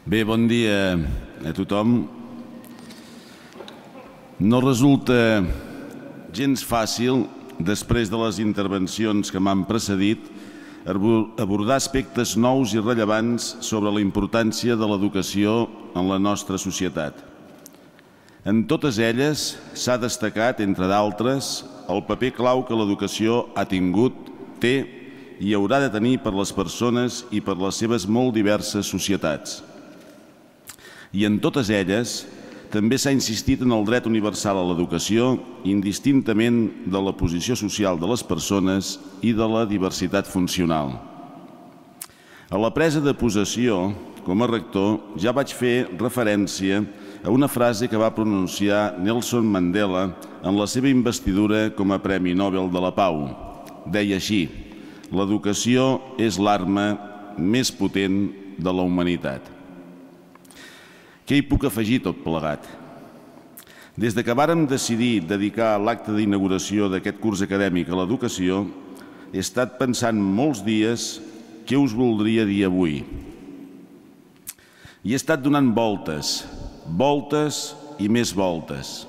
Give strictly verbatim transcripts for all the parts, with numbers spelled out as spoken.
Bé, bon dia a tothom. No resulta gens fàcil, després de les intervencions que m'han precedit, abordar aspectes nous i rellevants sobre la importància de l'educació en la nostra societat. En totes elles s'ha destacat, entre d'altres, el paper clau que l'educació ha tingut, té i haurà de tenir per les persones i per les seves molt diverses societats. I en totes elles també s'ha insistit en el dret universal a l'educació, indistintament de la posició social de les persones i de la diversitat funcional. A la presa de possessió, com a rector, ja vaig fer referència a una frase que va pronunciar Nelson Mandela en la seva investidura com a Premi Nobel de la Pau. Deia així: l'educació és l'arma més potent de la humanitat. Què hi puc afegir tot plegat? Des que vàrem decidir dedicar l'acte d'inauguració d'aquest curs acadèmic a l'educació, he estat pensant molts dies què us voldria dir avui. I he estat donant voltes, voltes i més voltes,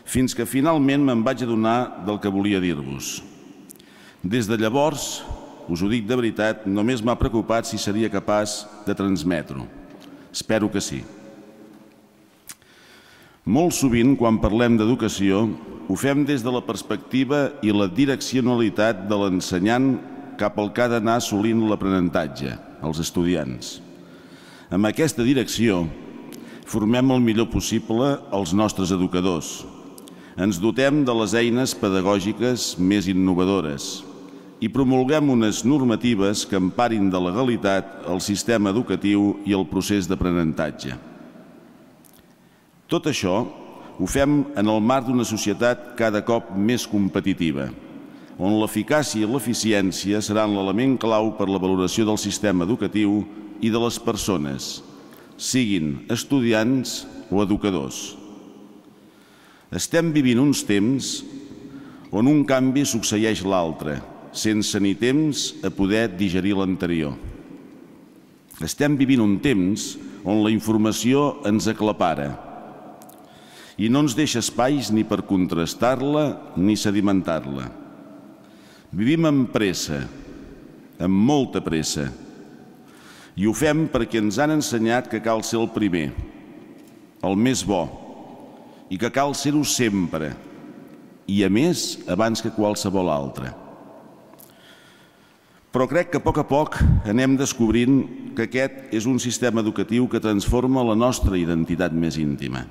fins que finalment me'n vaig adonar del que volia dir-vos. Des de llavors, us ho dic de veritat, només m'ha preocupat si seria capaç de transmetre-ho. Espero que sí. Molt sovint, quan parlem d'educació, ho fem des de la perspectiva i la direccionalitat de l'ensenyant cap al que ha d'anar assolint l'aprenentatge, els estudiants. Amb aquesta direcció, formem el millor possible els nostres educadors. Ens dotem de les eines pedagògiques més innovadores i promulguem unes normatives que emparin de legalitat el sistema educatiu i el procés d'aprenentatge. Tot això ho fem en el marc d'una societat cada cop més competitiva, on l'eficàcia i l'eficiència seran l'element clau per la valoració del sistema educatiu i de les persones, siguin estudiants o educadors. Estem vivint uns temps on un canvi succeeix l'altre, sense ni temps a poder digerir l'anterior. Estem vivint un temps on la informació ens aclapara i no ens deixa espais ni per contrastar-la ni sedimentar-la. Vivim amb pressa, amb molta pressa, i ho fem perquè ens han ensenyat que cal ser el primer, el més bo, i que cal ser-ho sempre, i a més abans que qualsevol altre. Però crec que a poc a poc anem descobrint que aquest és un sistema educatiu que transforma la nostra identitat més íntima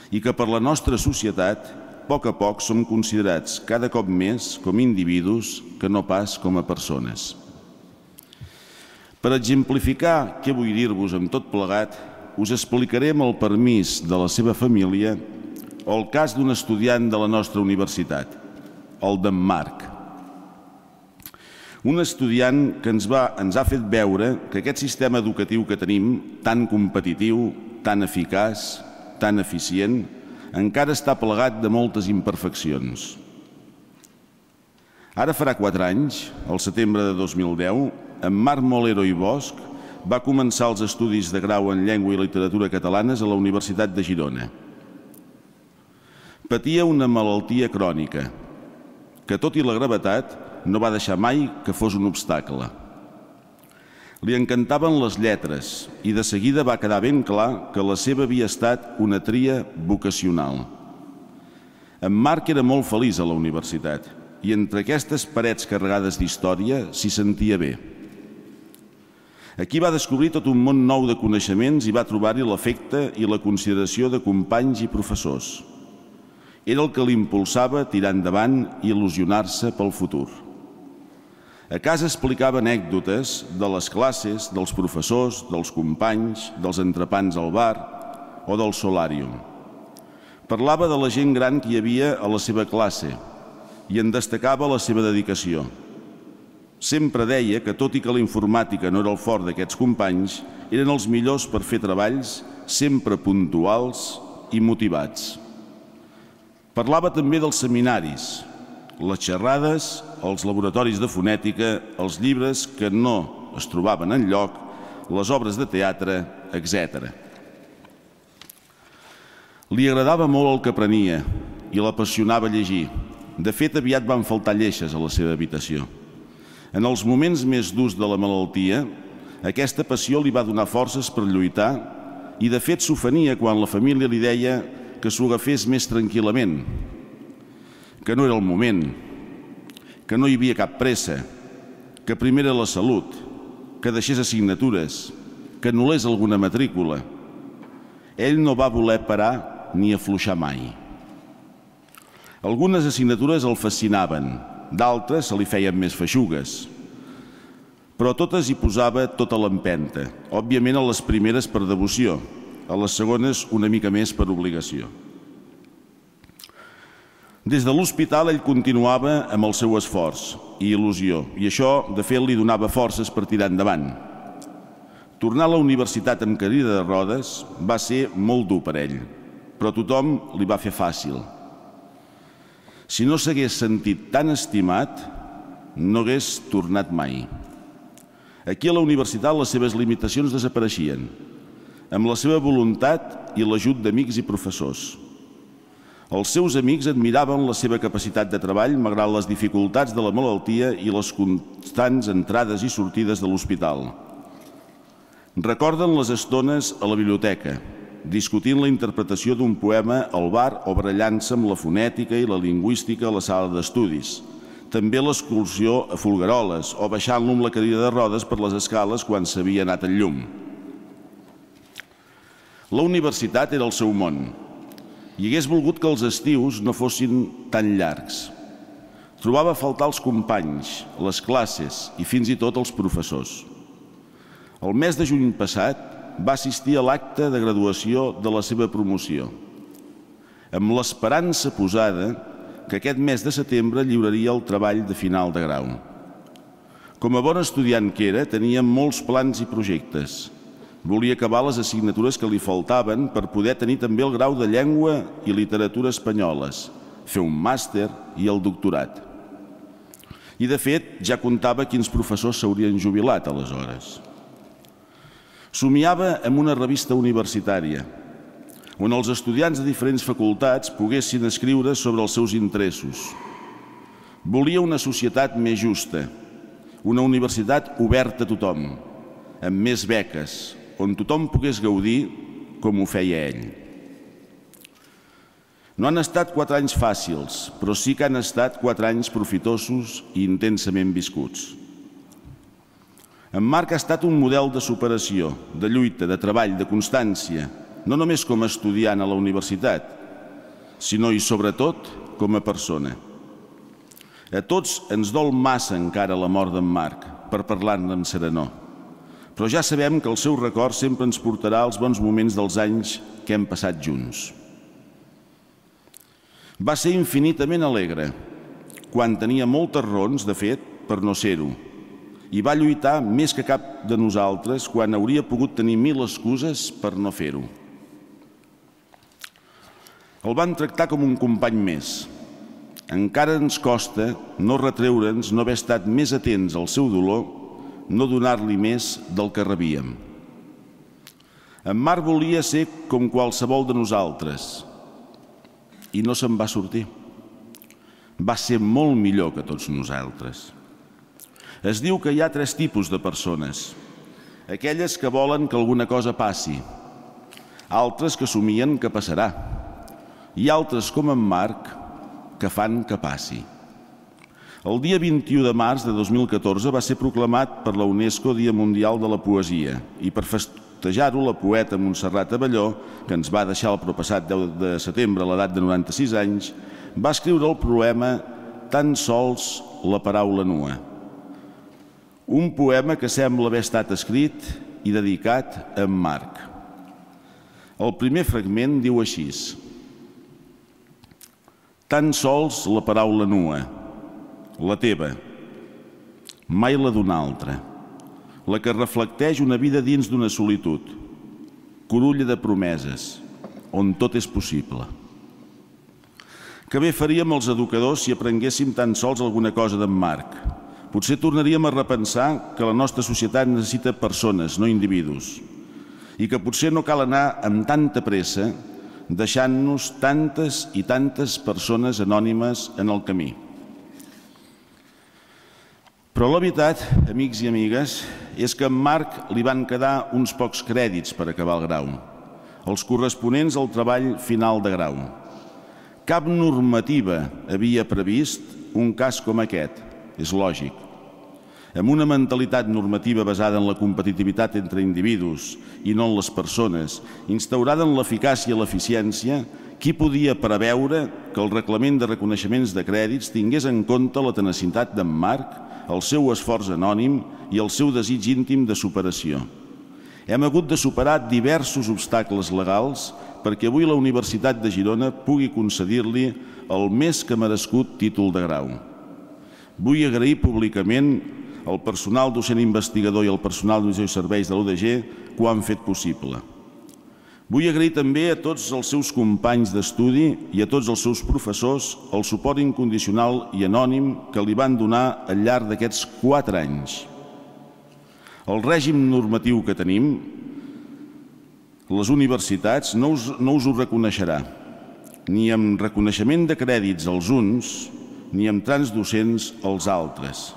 i que per la nostra societat, a poc a poc, som considerats cada cop més com individus que no pas com a persones. Per exemplificar què vull dir-vos amb tot plegat, us explicaré amb el permís de la seva família el cas d'un estudiant de la nostra universitat, el d'en Marc. Un estudiant que ens, va, ens ha fet veure que aquest sistema educatiu que tenim, tan competitiu, tan eficaç, tan eficient, encara està plagat de moltes imperfeccions. Ara farà quatre anys, al setembre de dos mil deu, en Marc Molero i Bosch va començar els estudis de grau en Llengua i Literatura catalanes a la Universitat de Girona. Patia una malaltia crònica, que tot i la gravetat no va deixar mai que fos un obstacle. Li encantaven les lletres i de seguida va quedar ben clar que la seva havia estat una tria vocacional. En Marc era molt feliç a la universitat i entre aquestes parets carregades d'història s'hi sentia bé. Aquí va descobrir tot un món nou de coneixements i va trobar-hi l'afecte i la consideració de companys i professors. Era el que l'impulsava a tirar endavant i il·lusionar-se pel futur. A casa explicava anècdotes de les classes, dels professors, dels companys, dels entrepans al bar o del solàrium. Parlava de la gent gran que hi havia a la seva classe i en destacava la seva dedicació. Sempre deia que, tot i que la informàtica no era el fort d'aquests companys, eren els millors per fer treballs sempre puntuals i motivats. Parlava també dels seminaris, les xerrades, els laboratoris de fonètica, els llibres que no es trobaven enlloc, les obres de teatre etcètera. Li agradava molt el que aprenia i l'apassionava llegir. De fet, aviat van faltar lleixes a la seva habitació. En els moments més durs de la malaltia, aquesta passió li va donar forces per lluitar i, de fet, s'ofenia quan la família li deia que s'ho agafés més tranquil·lament, que no era el moment, que no hi havia cap pressa, que primer era la salut, que deixés assignatures, que anul·lés alguna matrícula. Ell no va voler parar ni afluixar mai. Algunes assignatures el fascinaven, d'altres se li feien més feixugues, però totes hi posava tota l'empenta, òbviament a les primeres per devoció, a les segones una mica més per obligació. Des de l'hospital ell continuava amb el seu esforç i il·lusió, i això, de fet, li donava forces per tirar endavant. Tornar a la universitat amb cadira de rodes va ser molt dur per ell, però tothom li va fer fàcil. Si no s'hagués sentit tan estimat, no hagués tornat mai. Aquí a la universitat les seves limitacions desapareixien, amb la seva voluntat i l'ajut d'amics i professors. Els seus amics admiraven la seva capacitat de treball malgrat les dificultats de la malaltia i les constants entrades i sortides de l'hospital. Recorden les estones a la biblioteca, discutint la interpretació d'un poema al bar o barallant-se amb la fonètica i la lingüística a la sala d'estudis. També l'excursió a Folgueroles o baixant-lo amb la cadira de rodes per les escales quan s'havia anat al llum. La universitat era el seu món i hagués volgut que els estius no fossin tan llargs. Trobava a faltar els companys, les classes i fins i tot els professors. El mes de juny passat va assistir a l'acte de graduació de la seva promoció, amb l'esperança posada que aquest mes de setembre lliuraria el treball de final de grau. Com a bon estudiant que era, tenia molts plans i projectes. Volia acabar les assignatures que li faltaven per poder tenir també el grau de Llengua i Literatura Espanyoles, fer un màster i el doctorat. I, de fet, ja contava quins professors s'haurien jubilat aleshores. Somiava amb una revista universitària, on els estudiants de diferents facultats poguessin escriure sobre els seus interessos. Volia una societat més justa, una universitat oberta a tothom, amb més beques, on tothom pogués gaudir com ho feia ell. No han estat quatre anys fàcils, però sí que han estat quatre anys profitosos i intensament viscuts. En Marc ha estat un model de superació, de lluita, de treball, de constància, no només com a estudiant a la universitat, sinó i sobretot com a persona. A tots ens dol massa encara la mort d'en Marc, per parlar-ne amb serenor. Però ja sabem que el seu record sempre ens portarà als bons moments dels anys que hem passat junts. Va ser infinitament alegre, quan tenia moltes raons, de fet, per no ser-ho, i va lluitar més que cap de nosaltres quan hauria pogut tenir mil excuses per no fer-ho. El van tractar com un company més. Encara ens costa no retreure'ns no haver estat més atents al seu dolor, no donar-li més del que rebíem. En Marc volia ser com qualsevol de nosaltres i no se'n va sortir. Va ser molt millor que tots nosaltres. Es diu que hi ha tres tipus de persones. Aquelles que volen que alguna cosa passi, altres que somien que passarà i altres, com en Marc, que fan que passi. El dia vint-i-u de març de dos mil catorze va ser proclamat per la UNESCO Dia Mundial de la Poesia i per festejar-ho la poeta Montserrat Abelló, que ens va deixar el propassat deu de setembre a l'edat de noranta-sis anys, va escriure el poema Tan sols la paraula nua. Un poema que sembla haver estat escrit i dedicat a en Marc. El primer fragment diu així: Tan sols la paraula nua, la teva, mai la d'una altra, la que reflecteix una vida dins d'una solitud, curulla de promeses, on tot és possible. Que bé faríem els educadors si aprenguéssim tan sols alguna cosa d'en Marc. Potser tornaríem a repensar que la nostra societat necessita persones, no individus, i que potser no cal anar amb tanta pressa deixant-nos tantes i tantes persones anònimes en el camí. Però la veritat, amics i amigues, és que a en Marc li van quedar uns pocs crèdits per acabar el grau, els corresponents al treball final de grau. Cap normativa havia previst un cas com aquest, és lògic. Amb una mentalitat normativa basada en la competitivitat entre individus i no en les persones, instaurada en l'eficàcia i l'eficiència, qui podia preveure que el reglament de reconeixements de crèdits tingués en compte la tenacitat d'en Marc, el seu esforç anònim i el seu desig íntim de superació? Hem hagut de superar diversos obstacles legals perquè avui la Universitat de Girona pugui concedir-li el més que merescut títol de grau. Vull agrair públicament al personal docent investigador i al personal d'administració i serveis de l'U D G que ho han fet possible. Vull agrair també a tots els seus companys d'estudi i a tots els seus professors el suport incondicional i anònim que li van donar al llarg d'aquests quatre anys. El règim normatiu que tenim, les universitats, no us, no us ho reconeixerà, ni amb reconeixement de crèdits als uns, ni amb transdocents als altres.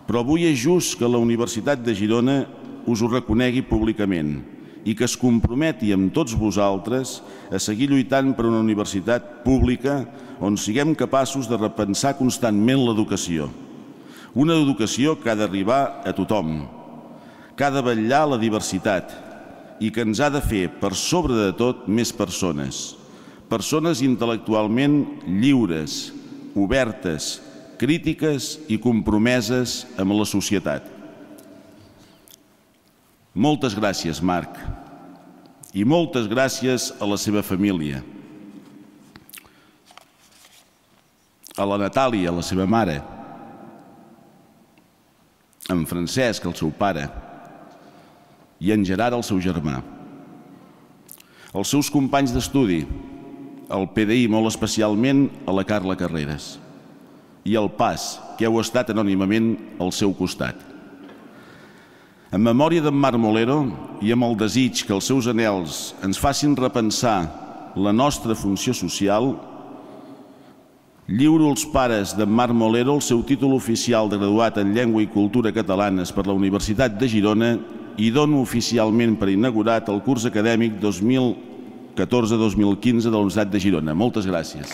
Però avui és just que la Universitat de Girona us ho reconegui públicament i que es comprometi amb tots vosaltres a seguir lluitant per una universitat pública on siguem capaços de repensar constantment l'educació. Una educació que ha d'arribar a tothom, que ha de vetllar la diversitat i que ens ha de fer, per sobre de tot, més persones. Persones intel·lectualment lliures, obertes, crítiques i compromeses amb la societat. Moltes gràcies, Marc, i moltes gràcies a la seva família, a la Natàlia, la seva mare, a en Francesc, el seu pare, i a en Gerard, el seu germà. Els seus companys d'estudi, al P D I, molt especialment a la Carla Carreras, i al P A S, que heu estat anònimament al seu costat. En memòria d'en Marc Molero i amb el desig que els seus anhels ens facin repensar la nostra funció social, lliuro als pares d'en Marc Molero el seu títol oficial de graduat en Llengua i Cultura Catalanes per la Universitat de Girona i dono oficialment per inaugurat el curs acadèmic dos mil catorze dos mil quinze de la Universitat de Girona. Moltes gràcies.